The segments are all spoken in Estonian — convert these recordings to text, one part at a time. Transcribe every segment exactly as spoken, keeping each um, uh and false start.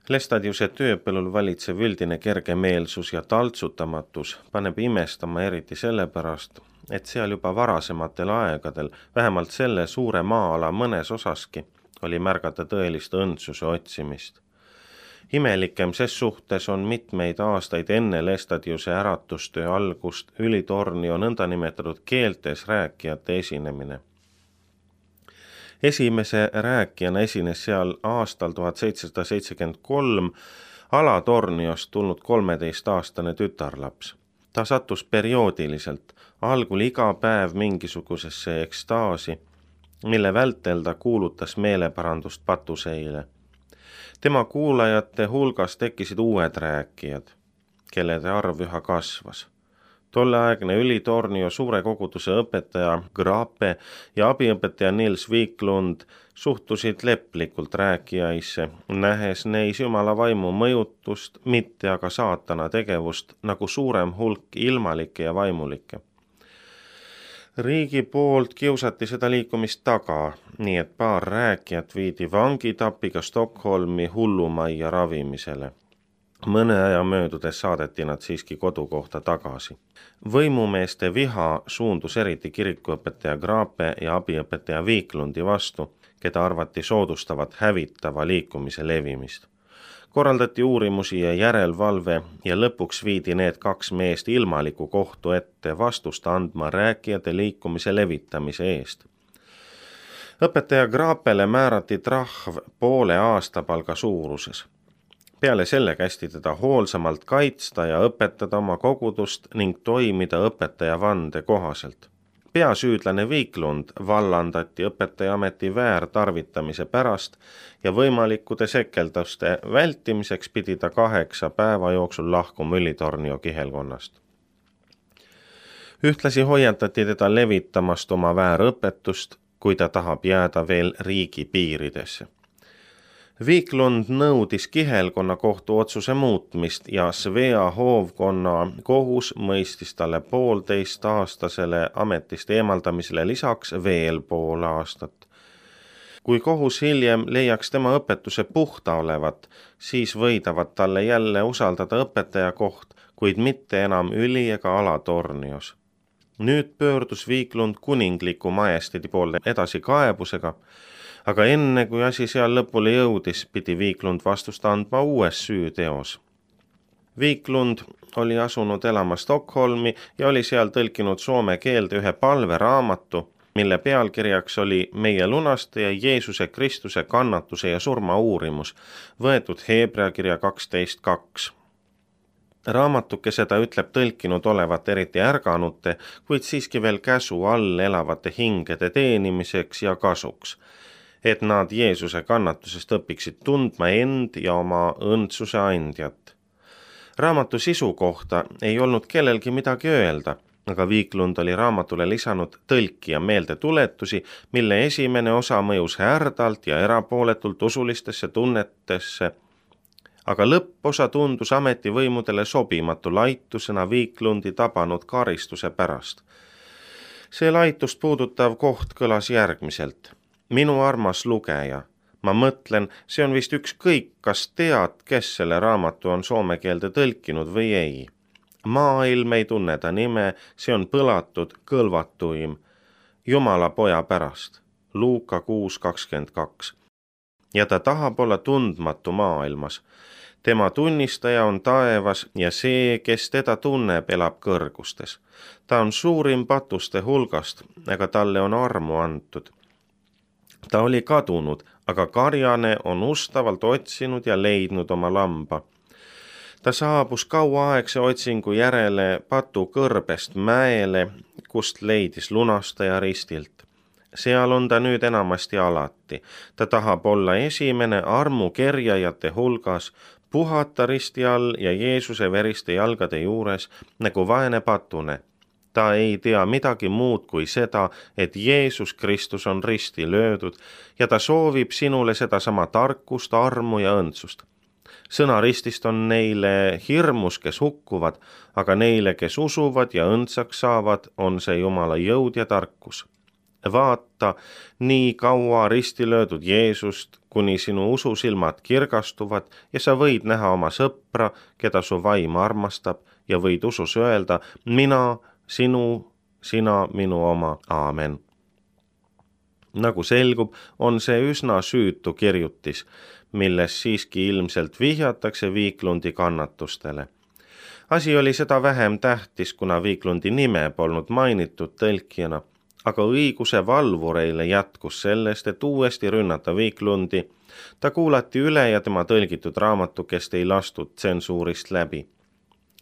Lestadiuse tööpõllul valitsev üldine kergemeelsus ja taltsutamatus paneb imestama eriti sellepärast, et seal juba varasematel aegadel, vähemalt selle suure maa-ala mõnes osaski, oli märgata tõelist õndsuse otsimist. Imelikem ses suhtes on mitmeid aastaid enne Lestadiuse äratustöö algust Ülitornio nõndanimetatud keeltes rääkijate esinemine. Esimese rääkijana esines seal aastal tuhat seitsesada seitsekümmend kolm Alatorniost tulnud kolmeteistaastane tütarlaps. Ta sattus perioodiliselt, algul iga päev mingisugusesse ekstaasi, mille vältel ta kuulutas meeleparandust patuseile. Tema kuulajate hulgas tekkisid uued rääkijad, kellede arv üha kasvas. Tolleaegne Ülitornio suure koguduse õpetaja Grape ja abiõpetaja Nils Wiklund suhtusid leplikult rääkijaisse, nähes neis Jumala vaimu mõjutust, mitte aga saatana tegevust nagu suurem hulk ilmalikke ja vaimulikke. Riigi poolt kiusati seda liikumist taga, nii et paar rääkijat viidi vangitapiga Stockholmi hullumajja ravimisele. Mõne aja möödudes saadeti nad siiski kodukohta tagasi. Võimumeeste viha suundus eriti kirikuõpetaja Grape ja abiõpetaja Wiklundi vastu, keda arvati soodustavat hävitava liikumise levimist. Korraldati uurimusi ja järelvalve ja lõpuks viidi need kaks meest ilmaliku kohtu ette vastust andma rääkijate liikumise levitamise eest. Õpetaja Grapele määrati trahv poole aastapalga suuruses. Peale selle kästi teda hoolsamalt kaitsta ja õpetada oma kogudust ning toimida õpetaja vande kohaselt. Peasüüdlane Wiklund vallandati õpetaja ameti väärtarvitamise pärast ja võimalikkude sekelduste vältimiseks pidi ta kaheksa päeva jooksul lahkuma Ülitornio kihelkonnast. Ühtlasi hoiatati teda levitamast oma väärõpetust, kui ta tahab jääda veel riigi piiridesse. Wiklund nõudis kihelkonna kohtu otsuse muutmist ja Svea hoovkonna kohus mõistis talle poolteist aastasele ametist eemaldamisele lisaks veel pool aastat. Kui kohus hiljem leiaks tema õpetuse puhta olevat, siis võidavad talle jälle usaldada õpetaja koht, kuid mitte enam Üli- ega Alatornios. Nüüd pöördus Wiklund kuningliku majesteedi poole edasi kaebusega, aga enne kui asi seal lõpule jõudis, pidi Wiklund vastust andma uues süüteos. Wiklund oli asunud elama Stockholmi ja oli seal tõlkinud soome keelde ühe palveraamatu, mille pealkirjaks oli Meie lunastaja Jeesuse Kristuse kannatuse ja surma uurimus, võetud Heebrea kirja kaksteist kaks. Raamatuke seda ütleb tõlkinud olevat eriti ärganute, kuid siiski veel käsu all elavate hingede teenimiseks ja kasuks, et nad Jeesuse kannatusest õpiksid tundma end ja oma õndsuse andjat. Raamatu sisu kohta ei olnud kellelgi midagi öelda, aga Wiklund oli raamatule lisanud tõlkija meeldetuletusi, mille esimene osa mõjus härdalt ja erapooletult usulistesse tunnetesse, aga lõpposa tundus ametivõimudele sobimatu laitusena Wiklundi tabanud karistuse pärast. See laitust puudutav koht kõlas järgmiselt. Minu armas lugeja, ma mõtlen, see on vist ükskõik, kas tead, kes selle raamatu on soome keelde tõlkinud või ei. Maailm ei tunne ta nime, see on põlatud kõlvatuim, Jumala poja pärast, Luuka kuus kakskümmend kaks. Ja ta tahab olla tundmatu maailmas. Tema tunnistaja on taevas ja see, kes teda tunneb, elab kõrgustes. Ta on suurim patuste hulgast, aga talle on armu antud. Ta oli kadunud, aga karjane on ustavalt otsinud ja leidnud oma lamba. Ta saabus kauaaegse otsingu järele patu kõrbest mäele, kust leidis lunastaja ristilt. Seal on ta nüüd enamasti alati. Ta tahab olla esimene armukerjajate hulgas, puhata risti all ja Jeesuse veriste jalgade juures nagu vaene patune. Ta ei tea midagi muud kui seda, et Jeesus Kristus on risti löödud ja ta soovib sinule sedasama tarkust, armu ja õndsust. Sõna ristist on neile hirmus, kes hukkuvad, aga neile, kes usuvad ja õndsaks saavad, on see Jumala jõud ja tarkus. vaata, nii kaua risti löödud Jeesust, kuni sinu ususilmad kirgastuvad ja sa võid näha oma sõpra, keda su vaim armastab, ja võid usus öelda, mina, sinu, sina, minu oma, aamen. Nagu selgub, on see üsna süütu kirjutis, milles siiski ilmselt vihjatakse Viiklundi kannatustele. Asi oli seda vähem tähtis, kuna Viiklundi nime polnud mainitud tõlkijana, aga õiguse valvureile jätkus sellest, et uuesti rünnata Viiklundi. Ta kuulati üle ja tema tõlgitud raamatukest ei lastud tsensuurist läbi.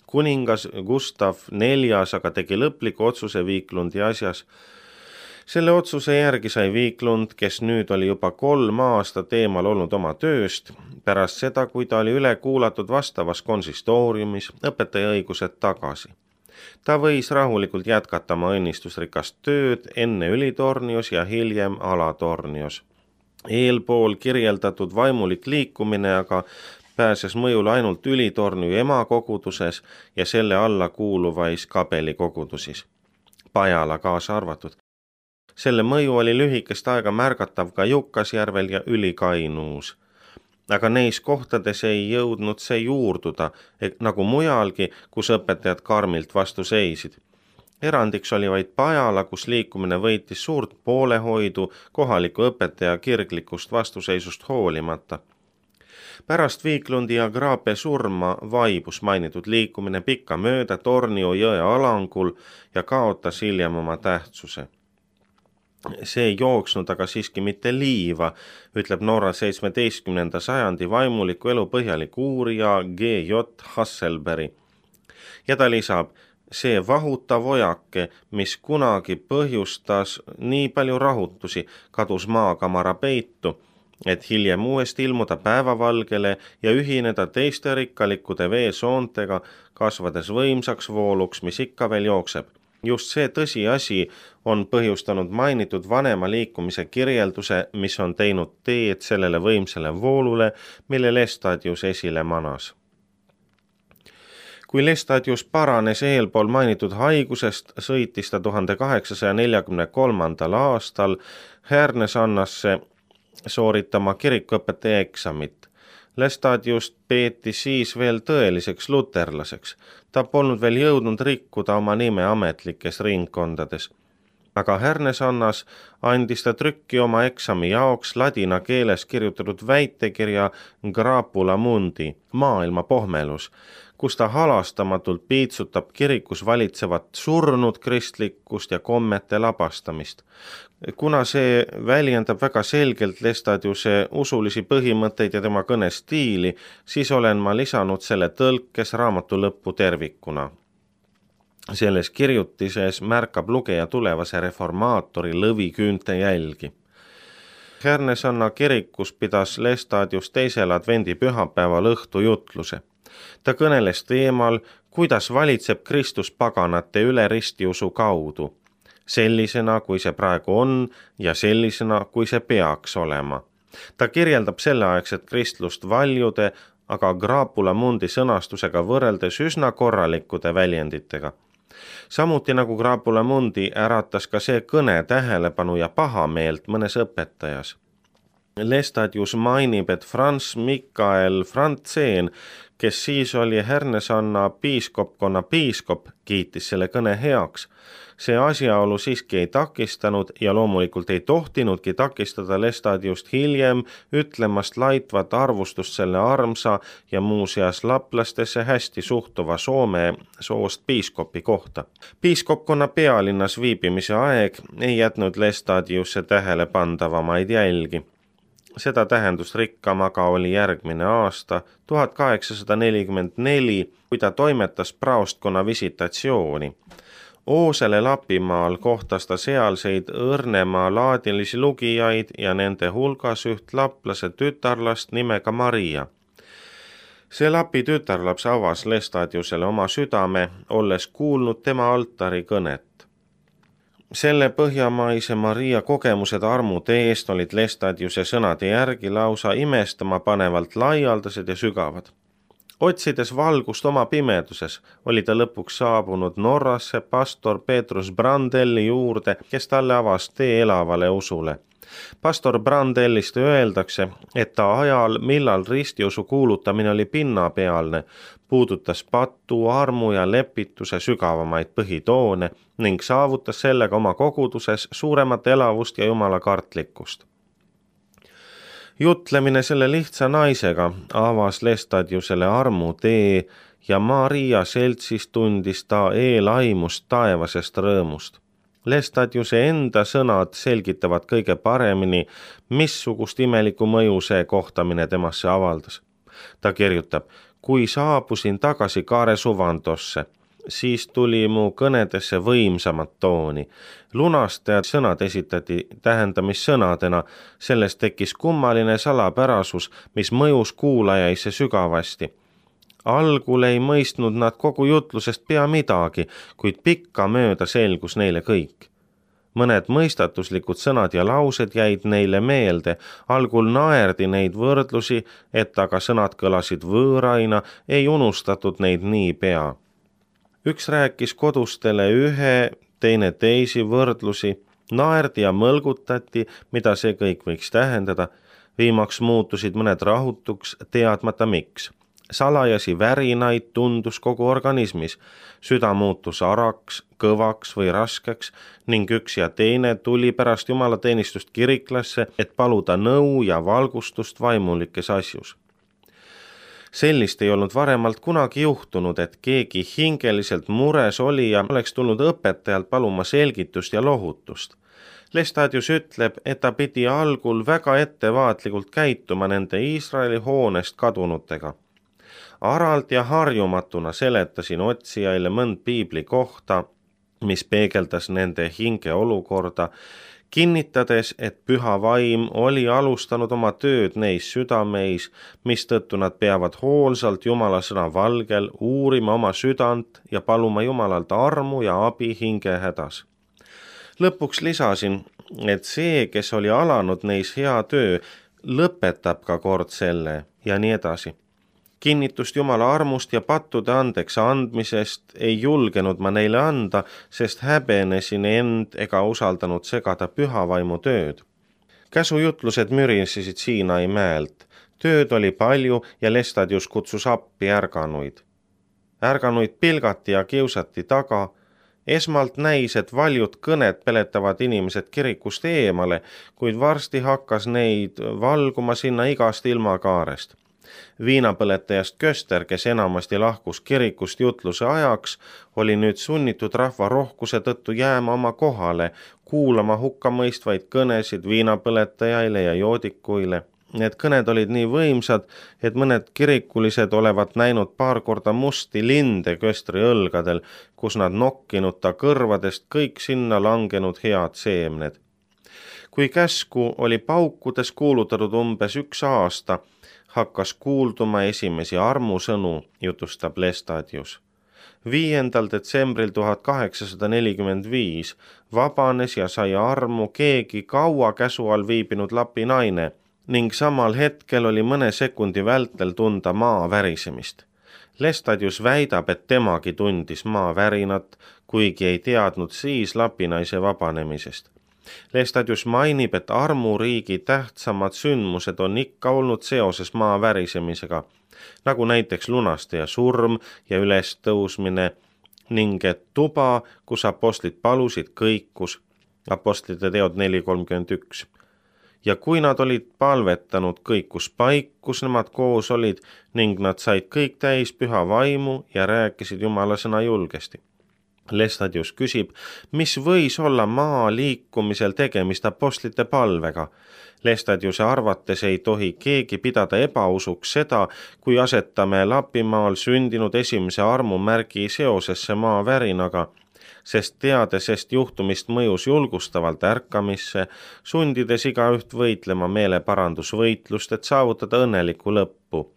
Kuningas Gustav neljas aga tegi lõpliku otsuse Viiklundi asjas. Selle otsuse järgi sai Viiklund, kes nüüd oli juba kolm aastat eemal olnud oma tööst, pärast seda, kui ta oli üle kuulatud vastavas konsistooriumis, õpetajaõigused tagasi. Ta võis rahulikult jätkata oma õnnistusrikast tööd enne Ülitornios ja hiljem Alatornios. Eelpool kirjeldatud vaimulik liikumine aga pääses mõjule ainult Ülitornio emakoguduses ja selle alla kuuluvais kabelikogudusis, Pajala kaasa arvatud. Selle mõju oli lühikest aega märgatav ka Jukkasjärvel ja Ülikainuus. Aga neis kohtades ei jõudnud see juurduda, nagu mujalgi, kus õpetajad karmilt vastu seisid. Erandiks oli vaid Pajala, kus liikumine võitis suurt poolehoidu kohaliku õpetaja kirglikust vastuseisust hoolimata. Pärast Viiklundi ja Graape surma vaibus mainitud liikumine pikka mööda Tornio jõe alangul ja kaotas hiljem oma tähtsuse. See ei jooksnud aga siiski mitte liiva, ütleb Norra seitsmeteistkümnenda sajandi vaimuliku elu põhjalik uurija G J Hasselberg. Ja ta lisab, see vahutav ojake, mis kunagi põhjustas nii palju rahutusi, kadus maakamara peitu, et hiljem uuesti ilmuda päevavalgele ja ühineda teiste rikkalikkude veesoontega, kasvades võimsaks vooluks, mis ikka veel jookseb. Just see tõsiasi on põhjustanud mainitud vanema liikumise kirjelduse, mis on teinud teed sellele võimsale voolule, mille Lestadius esile manas. Kui Lestadius paranes eelpool mainitud haigusest, sõitis ta tuhande kaheksasaja neljakümne kolmandal aastal Härnesannasse sooritama kirikuõpetaja eksamit. Lestadiust peeti siis veel tõeliseks luterlaseks. Ta polnud veel jõudnud rikkuda oma nime ametlikes ringkondades. Aga Härnesannas andis ta trükki oma eksami jaoks ladina keeles kirjutatud väitekirja Graapula mundi, maailma pohmelus, kus ta halastamatult piitsutab kirikus valitsevat surnud kristlikkust ja kommete labastamist. Kuna see väljendab väga selgelt Lestadiuse usulisi põhimõtteid ja tema kõnestiili, siis olen ma lisanud selle tõlkes raamatu lõppu tervikuna. Selles kirjutises märkab lugeja tulevase reformaatori lõviküünte jälgi. Härnesanna kirikus pidas Lestadius teisel advendi pühapäeval õhtu jutluse. Ta kõneles teemal, kuidas valitseb Kristus paganate üle ristiusu kaudu, sellisena, kui see praegu on ja sellisena, kui see peaks olema. Ta kirjeldab selleaegset kristlust valjude, aga Graapula mundi sõnastusega võrreldes üsna korralikkude väljenditega. Samuti nagu Graapula mundi äratas ka see kõne tähelepanu ja pahameelt mõnes õpetajas. Lestadius mainib, et Franz Michael Franzen, kes siis oli Härnesanna piiskopkonna piiskop, kiitis selle kõne heaks. See asjaolu siiski ei takistanud ja loomulikult ei tohtinudki takistada Lestadiust hiljem ütlemast laitvat arvustust selle armsa ja muuseas laplastesse hästi suhtuva Soome soost piiskopi kohta. Piiskopkonna pealinnas viibimise aeg ei jätnud Lestadiusse tähelepandavamaid jälgi. Seda tähendust rikkam aga oli järgmine aasta, tuhat kaheksasada nelikümmend neli, kui ta toimetas praostkonna visitatsiooni. Oosele Lapimaal kohtas ta sealseid õrnema laadilisi lugijaid ja nende hulgas üht laplase tütarlast nimega Maria. See Lapi tütarlaps avas Lestadiusele oma südame, olles kuulnud tema altari kõnet. Selle põhjamaise Maria kogemused armude eest olid Lestadiuse sõnade järgi lausa imestama panevalt laialdased ja sügavad. Otsides valgust oma pimeduses, oli ta lõpuks saabunud Norrasse pastor Petrus Brandelli juurde, kes talle avas tee elavale usule. Pastor Brandellist öeldakse, et ta ajal, millal ristiusu kuulutamine oli pinnapealne, puudutas patu, armu ja lepituse sügavamaid põhitoone ning saavutas sellega oma koguduses suuremat elavust ja jumala kartlikkust. Jutlemine selle lihtsa naisega avas Lestadiusele armu tee ja Maria seltsis tundis ta eelaimust taevasest rõõmust. Lestadiuse enda sõnad selgitavad kõige paremini, missugust imeliku mõju see kohtamine temasse avaldas. Ta kirjutab, kui saabusin tagasi Kaare suvandosse, siis tuli mu kõnedesse võimsamat tooni. Lunastajad sõnad esitati tähendamissõnadena, sellest tekkis kummaline salapärasus, mis mõjus kuulajaisse sügavasti. Algul ei mõistnud nad kogu jutlusest pea midagi, kuid pikka mööda selgus neile kõik. Mõned mõistatuslikud sõnad ja laused jäid neile meelde, algul naerdi neid võrdlusi, et aga sõnad kõlasid võõraina, ei unustatud neid nii pea. Üks rääkis kodustele ühe, teine teisi võrdlusi, naerdi ja mõlgutati, mida see kõik võiks tähendada, viimaks muutusid mõned rahutuks, teadmata miks. Salajasi värinaid tundus kogu organismis, süda muutus araks, kõvaks või raskeks ning üks ja teine tuli pärast jumalateenistust kiriklasse, et paluda nõu ja valgustust vaimulikes asjus. Sellist ei olnud varemalt kunagi juhtunud, et keegi hingeliselt mures oli ja oleks tulnud õpetajalt paluma selgitust ja lohutust. Lestadius ütleb, et ta pidi algul väga ettevaatlikult käituma nende Iisraeli hoonest kadunutega. Aralt ja harjumatuna seletasin otsijaile mõnd piibli kohta, mis peegeldas nende hinge olukorda, kinnitades, et püha vaim oli alustanud oma tööd neis südameis, mistõttu nad peavad hoolsalt Jumala sõna valgel uurima oma südant ja paluma Jumalalt armu ja abi hinge hädas. Lõpuks lisasin, et see, kes oli alanud neis hea töö, lõpetab ka kord selle ja nii edasi. Kinnitust Jumala armust ja pattude andeks andmisest ei julgenud ma neile anda, sest häbenesin end ega usaldanud segada pühavaimu tööd. Käsujutlused mürisesid Siinai mäelt. Tööd oli palju ja Lestadius kutsus appi ärganuid. Ärganuid pilgati ja kiusati taga. Esmalt näis, et valjud kõned peletavad inimesed kirikust eemale, kuid varsti hakkas neid valguma sinna igast ilmakaarest. Viinapõletajast Köster, kes enamasti lahkus kirikust jutluse ajaks, oli nüüd sunnitud rahva rohkuse tõttu jääma oma kohale, kuulama hukkamõistvaid kõnesid viinapõletajaile ja joodikuile. Need kõned olid nii võimsad, et mõned kirikulised olevat näinud paar korda musti linde Köstri õlgadel, kus nad nokkinud ta kõrvadest kõik sinna langenud head seemned. Kui käsku oli paukudes kuulutatud umbes üks aasta, hakkas kuulduma esimesi armusõnu, jutustab Lestadius. viiendal detsembril tuhat kaheksasada nelikümmend viis vabanes ja sai armu keegi kaua käsu all viibinud lapi naine ning samal hetkel oli mõne sekundi vältel tunda maa värisemist. Lestadius väidab, et temagi tundis maa värinat, kuigi ei teadnud siis lapinaise vabanemisest. Lestadius mainib, et armuriigi tähtsamad sündmused on ikka olnud seoses maa värisemisega, nagu näiteks lunastaja surm ja ülestõusmine ning et tuba, kus apostlid palusid, kõikus, apostlite teod neli kolmkümmend üks. Ja kui nad olid palvetanud, kõikus paik, kus nemad koos olid ning nad said kõik täis püha vaimu ja rääkisid Jumala sõna julgesti. Lestadius küsib, mis võis olla maa liikumisel tegemist apostlite palvega. Lestadiuse arvates ei tohi keegi pidada ebausuks seda, kui asetame Lapimaal sündinud esimese armu märgi seosesse maa värinaga, sest teadesest juhtumist mõjus julgustavalt ärkamisse, sundides igaüht võitlema meeleparandusvõitlust, et saavutada õnnelikku lõppu.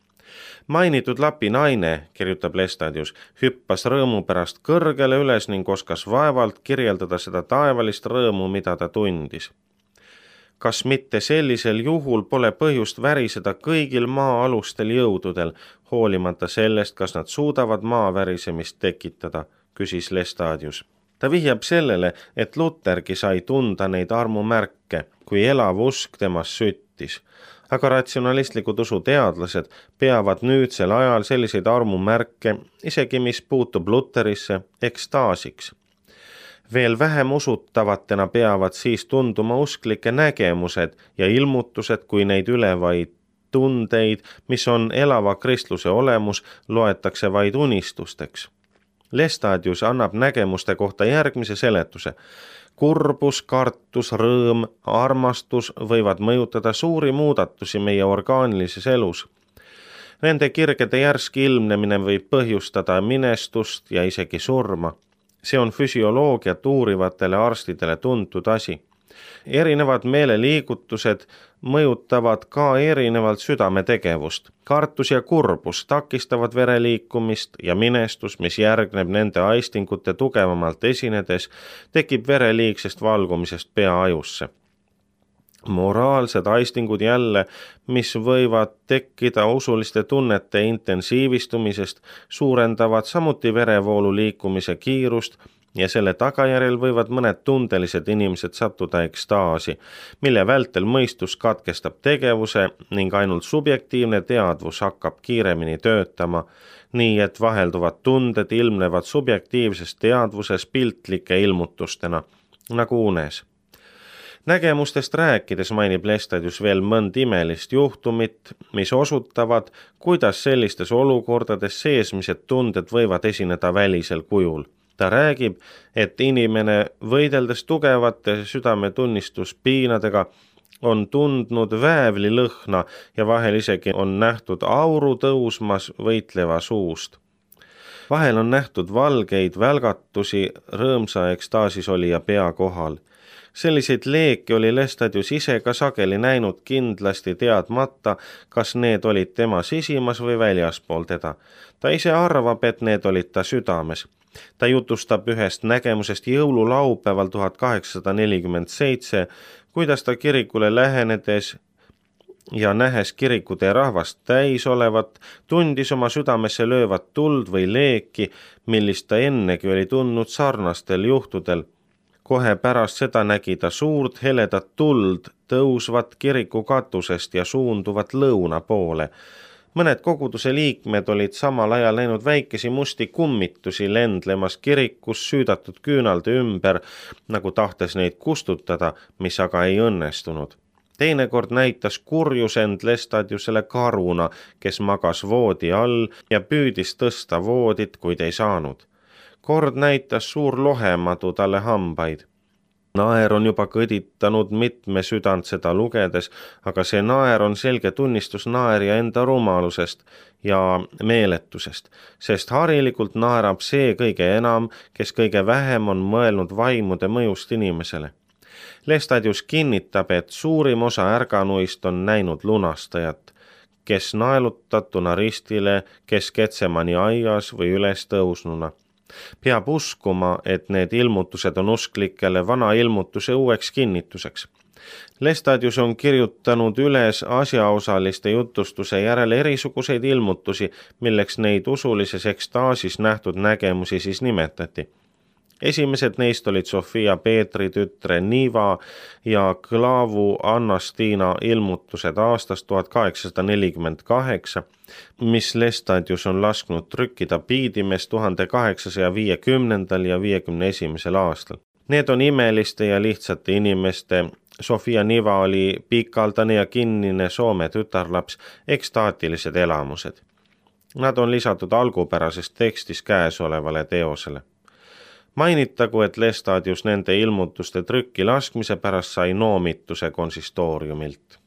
Mainitud lapi naine, kirjutab Lestadius, hüppas rõõmu pärast kõrgele üles ning oskas vaevalt kirjeldada seda taevalist rõõmu, mida ta tundis. kas mitte sellisel juhul pole põhjust väriseda kõigil maa-alustel jõududel, hoolimata sellest, kas nad suudavad maa värisemist tekitada, küsis Lestadius. Ta vihjab sellele, et Luthergi sai tunda neid armumärke, kui elav usk temas süttis. Aga ratsionalistlikud usuteadlased peavad nüüdsel ajal selliseid armumärke, isegi mis puutub Lutherisse, ekstaasiks. Veel vähem usutavatena peavad siis tunduma usklike nägemused ja ilmutused, kui neid ülevaid tundeid, mis on elava kristluse olemus, loetakse vaid unistusteks. Lestadius annab nägemuste kohta järgmise seletuse. Kurbus, kartus, rõõm, armastus võivad mõjutada suuri muudatusi meie orgaanilises elus. Nende kirgede järsk ilmnemine võib põhjustada minestust ja isegi surma. See on füsioloogiat uurivatele arstidele tuntud asi. Erinevad meeleliigutused mõjutavad ka erinevalt südametegevust. Kartus ja kurbus takistavad vereliikumist ja minestus, mis järgneb nende aistingute tugevamalt esinedes, tekib vereliigsest valgumisest peaajusse. Moraalsed aistingud jälle, mis võivad tekkida usuliste tunnete intensiivistumisest, suurendavad samuti verevoolu liikumise kiirust ja selle tagajärjel võivad mõned tundelised inimesed sattuda ekstaasi, mille vältel mõistus katkestab tegevuse ning ainult subjektiivne teadvus hakkab kiiremini töötama, nii et vahelduvad tunded ilmnevad subjektiivses teadvuses piltlike ilmutustena, nagu unes. Nägemustest rääkides mainib Lestadius veel mõnd imelist juhtumit, mis osutavad, kuidas sellistes olukordades seesmised tunded võivad esineda välisel kujul. Ta räägib, et inimene võideldes tugevate südametunnistuspiinadega on tundnud väävli lõhna ja vahel isegi on nähtud auru tõusmas võitleva suust. Vahel on nähtud valgeid välgatusi rõõmsa ekstaasis olija pea kohal. Selliseid leeki oli Lestadius ise ka sageli näinud kindlasti teadmata, kas need olid tema sisimas või väljaspool teda. Ta ise arvab, et need olid ta südames. Ta jutustab ühest nägemusest jõululaupäeval tuhat kaheksasada nelikümmend seitse, kuidas ta kirikule lähenedes ja nähes kirikutee rahvast täis olevat, tundis oma südamesse löövat tuld või leeki, millist ta ennegi oli tundnud sarnastel juhtudel. Kohe pärast seda nägi ta suurt heledat tuld tõusvat kiriku katusest ja suunduvat lõuna poole. Mõned koguduse liikmed olid samal ajal näinud väikesi musti kummitusi lendlemas kirikus süüdatud küünalde ümber, nagu tahtes neid kustutada, mis aga ei õnnestunud. Teinekord näitas kurjus end Lestadiusele karuna, kes magas voodi all ja püüdis tõsta voodit, kuid ei saanud. Kord näitas suur lohemadu talle hambaid. Naer on juba kõditanud mitme südant seda lugedes, aga see naer on selge tunnistus naerja enda rumalusest ja meeletusest, sest harilikult naerab see kõige enam, kes kõige vähem on mõelnud vaimude mõjust inimesele. Lestadius kinnitab, et suurim osa ärganuist on näinud lunastajat, kes naelutatuna ristile, kes Getsemani aias või üles tõusnuna. Peab uskuma, et need ilmutused on usklikele vana ilmutuse uueks kinnituseks. Lestadius on kirjutanud üles asjaosaliste jutustuse järel erisuguseid ilmutusi, milleks neid usulises ekstaasis nähtud nägemusi siis nimetati. Esimesed neist olid Sofia Peetri tütre Niva ja Klaavu Annastiina ilmutused aastast tuhat kaheksasada nelikümmend kaheksa, mis Lestadius on lasknud trükkida Piidimes tuhande kaheksasaja viiekümnendal ja viiekümne esimesel aastal. Need on imeliste ja lihtsate inimeste. Sofia Niva oli pikaldane ja kinnine Soome tütarlaps, ekstaatilised elamused. Nad on lisatud algupärasest tekstis käesolevale teosele. Mainitagu, et Lestadius nende ilmutuste trükki laskmise pärast sai noomituse konsistooriumilt.